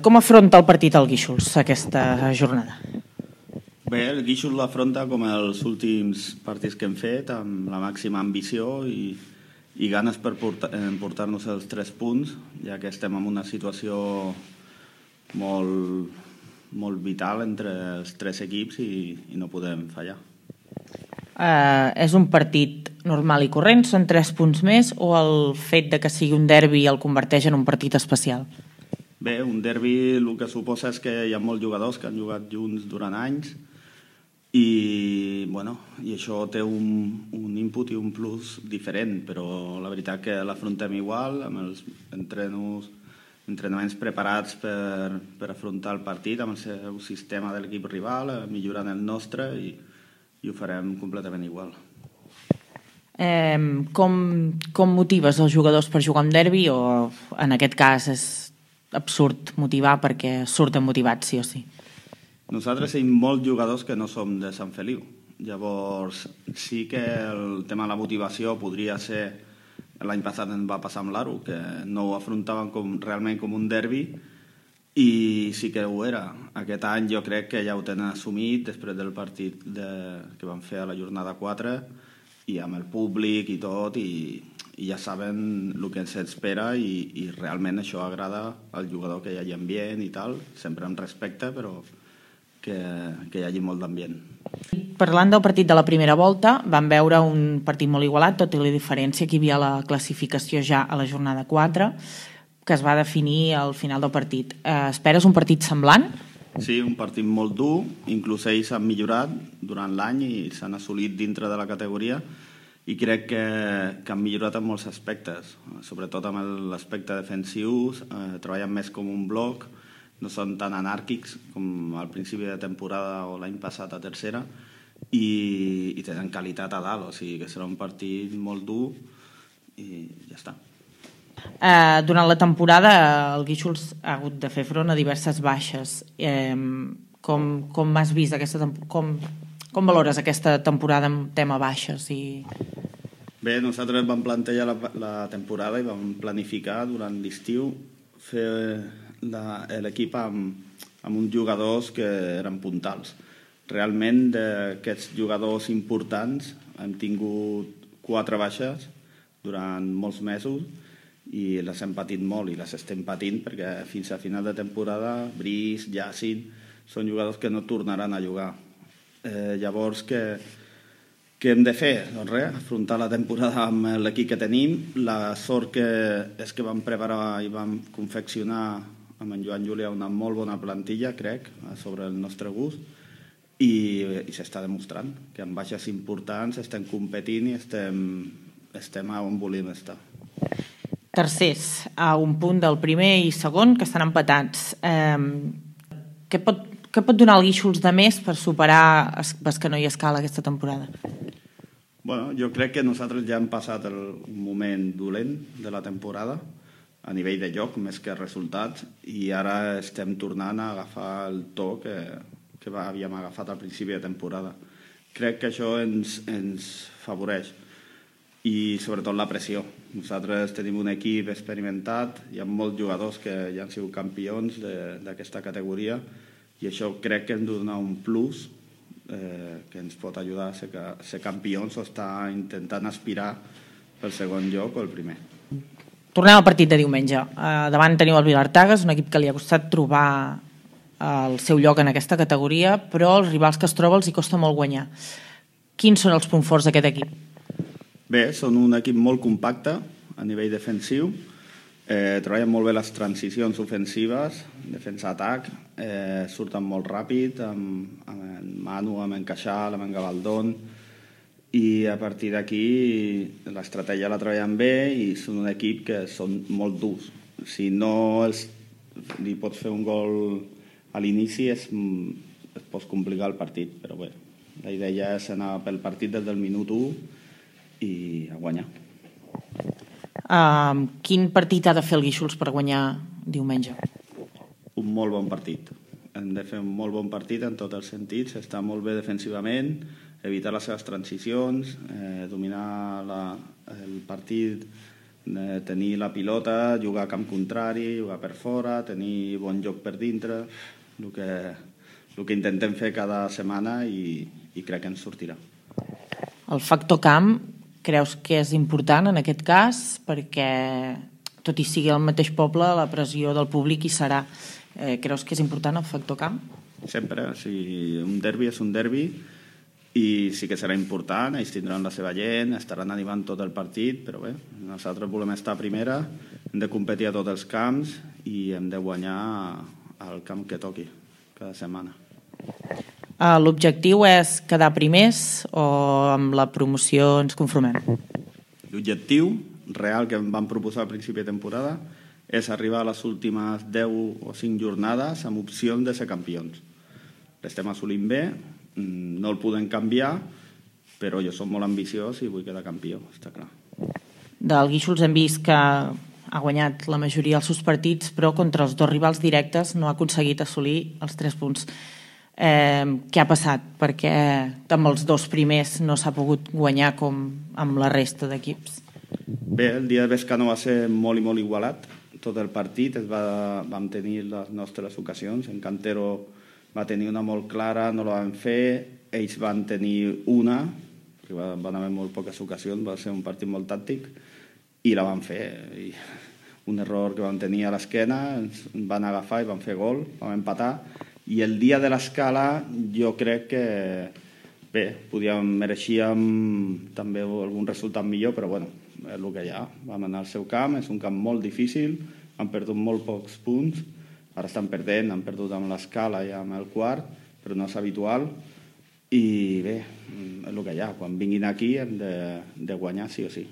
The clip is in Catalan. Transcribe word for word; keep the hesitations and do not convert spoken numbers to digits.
Com afronta el partit el Guíxols aquesta jornada? Bé, el Guíxols l'afronta com els últims partits que hem fet, amb la màxima ambició i, i ganes per portar-nos els tres punts, ja que estem en una situació molt, molt vital entre els tres equips i, i no podem fallar. Uh, és un partit normal i corrent? Són tres punts més o el fet de que sigui un derbi el converteix en un partit especial? Bé, un derbi el que suposa és que hi ha molts jugadors que han jugat junts durant anys i, bueno, i això té un, un input i un plus diferent, però la veritat que l'afrontem igual, amb els entrenos, entrenaments preparats per, per afrontar el partit, amb el seu sistema de l'equip rival, millorant el nostre i, i ho farem completament igual. Eh, com, com motives els jugadors per jugar un derbi o en aquest cas és absurd motivar perquè surten motivats sí o sí? Nosaltres tenim molts jugadors que no som de Sant Feliu. Llavors, sí que el tema de la motivació podria ser... L'any passat ens va passar amb l'Aro, que no ho afrontaven com, realment com un derbi, i sí que ho era. Aquest any jo crec que ja ho tenen assumit després del partit de, que van fer a la jornada quatre, i amb el públic i tot, i, i ja saben el que ens espera, i, i realment això agrada al jugador, que hi hagi ambient i tal, sempre amb respecte, però... Que, que hi hagi molt d'ambient. Parlant del partit de la primera volta, vam veure un partit molt igualat, tot i la diferència que hi havia la classificació ja a la jornada quatre, que es va definir al final del partit. Eh, esperes un partit semblant? Sí, un partit molt dur, inclús ells han millorat durant l'any i s'han assolit dintre de la categoria i crec que, que han millorat en molts aspectes, sobretot amb l'aspecte defensiu, eh, treballen més com un bloc, no són tan anàrquics com al principi de temporada o l'any passat a tercera i, i tenen qualitat a dalt, o sigui que serà un partit molt dur i ja està. Eh, durant la temporada el Guíxols ha hagut de fer front a diverses baixes. Eh, com, com has vist aquesta com, com valores aquesta temporada en tema baixes? I... Bé, nosaltres vam plantejar la, la temporada i vam planificar durant l'estiu fer l'equip amb, amb uns jugadors que eren puntals. Realment d'aquests jugadors importants hem tingut quatre baixes durant molts mesos i les hem patit molt i les estem patint perquè fins a final de temporada Brice, Yacine són jugadors que no tornaran a jugar. Eh, llavors què, què hem de fer? Doncs res, afrontar la temporada amb l'equip que tenim. La sort que és que vam preparar i vam confeccionar amb en Joan Júlia una molt bona plantilla, crec, sobre el nostre gust, i, i s'està demostrant que amb baixes importants estem competint i estem, estem on volem estar. Tercers, a un punt del primer i segon, que estan empatats. Eh, què, pot, què pot donar el Guíxols de més per superar Bescanó i Escala aquesta temporada? Bueno, jo crec que nosaltres ja hem passat el moment dolent de la temporada, a nivell de joc més que resultats, i ara estem tornant a agafar el to que, que havíem agafat al principi de temporada. Crec que això ens, ens favoreix i sobretot la pressió. Nosaltres tenim un equip experimentat, hi ha molts jugadors que ja han sigut campions d'aquesta categoria i això crec que ens dona un plus eh, que ens pot ajudar a ser, a ser campions o estar intentant aspirar pel segon lloc o el primer. Tornem al partit de diumenge. Uh, davant teniu el Vilartagas, un equip que li ha costat trobar el seu lloc en aquesta categoria, però els rivals que es troba els hi costa molt guanyar. Quins són els punts forts d'aquest equip? Bé, són un equip molt compacte a nivell defensiu, eh, treballen molt bé les transicions ofensives, defensa-atac, eh, surten molt ràpid, amb, amb en Manu, amb en Caixal, amb en Gavaldón, i a partir d'aquí l'estratègia la treballen bé i són un equip que són molt durs. Si no els, li pots fer un gol a l'inici es, es pot complicar el partit, però bé, la idea és anar pel partit des del minut u i a guanyar. Uh, quin partit ha de fer el Guíxols per guanyar diumenge? Un molt bon partit. Hem de fer un molt bon partit en tots els sentits, estar molt bé defensivament, evitar les seves transicions, eh, dominar la, el partit eh, tenir la pilota, jugar a camp contrari, jugar per fora, tenir bon joc per dintre, el que, el que intentem fer cada setmana i, i crec que ens sortirà. El factor camp creus que és important en aquest cas? Perquè tot i sigui el mateix poble, la pressió del públic hi serà. Eh, creus que és important el factor camp? Sempre, o sigui, un derbi és un derbi i sí que serà important, ells tindran la seva gent, estaran animant tot el partit, però bé, nosaltres volem estar a primera, hem de competir a tots els camps i hem de guanyar al camp que toqui cada setmana. L'objectiu és quedar primers o amb la promoció ens conformem? L'objectiu real que em van proposar al principi de temporada és arribar a les últimes deu o cinc jornades amb opcions de ser campions. L'estem assolint bé, no el podem canviar, però jo soc molt ambiciós i vull quedar campió, està clar. Del Guíxols hem vist que ha guanyat la majoria dels seus partits, però contra els dos rivals directes no ha aconseguit assolir els tres punts. Eh, què ha passat? Perquè amb els dos primers no s'ha pogut guanyar com amb la resta d'equips. Bé, el dia de Besca no va ser molt i molt igualat. Tot el partit es va, vam tenir les nostres ocasions. En Cantero va tenir una molt clara, no la van fer. Ells van tenir una, que van haver molt poques ocasions, va ser un partit molt tàctic, i la van fer. I un error que vam tenir a l'esquena, ens van agafar i van fer gol, vam empatar. I el dia de l'escala jo crec que bé, podíem, mereixíem també algun resultat millor, però bueno, és el que hi ha. Vam anar al seu camp, és un camp molt difícil, han perdut molt pocs punts, ara estan perdent, han perdut amb l'escala i amb el quart, però no és habitual, i bé, és el que hi ha. Quan vinguin aquí hem de, de guanyar sí o sí.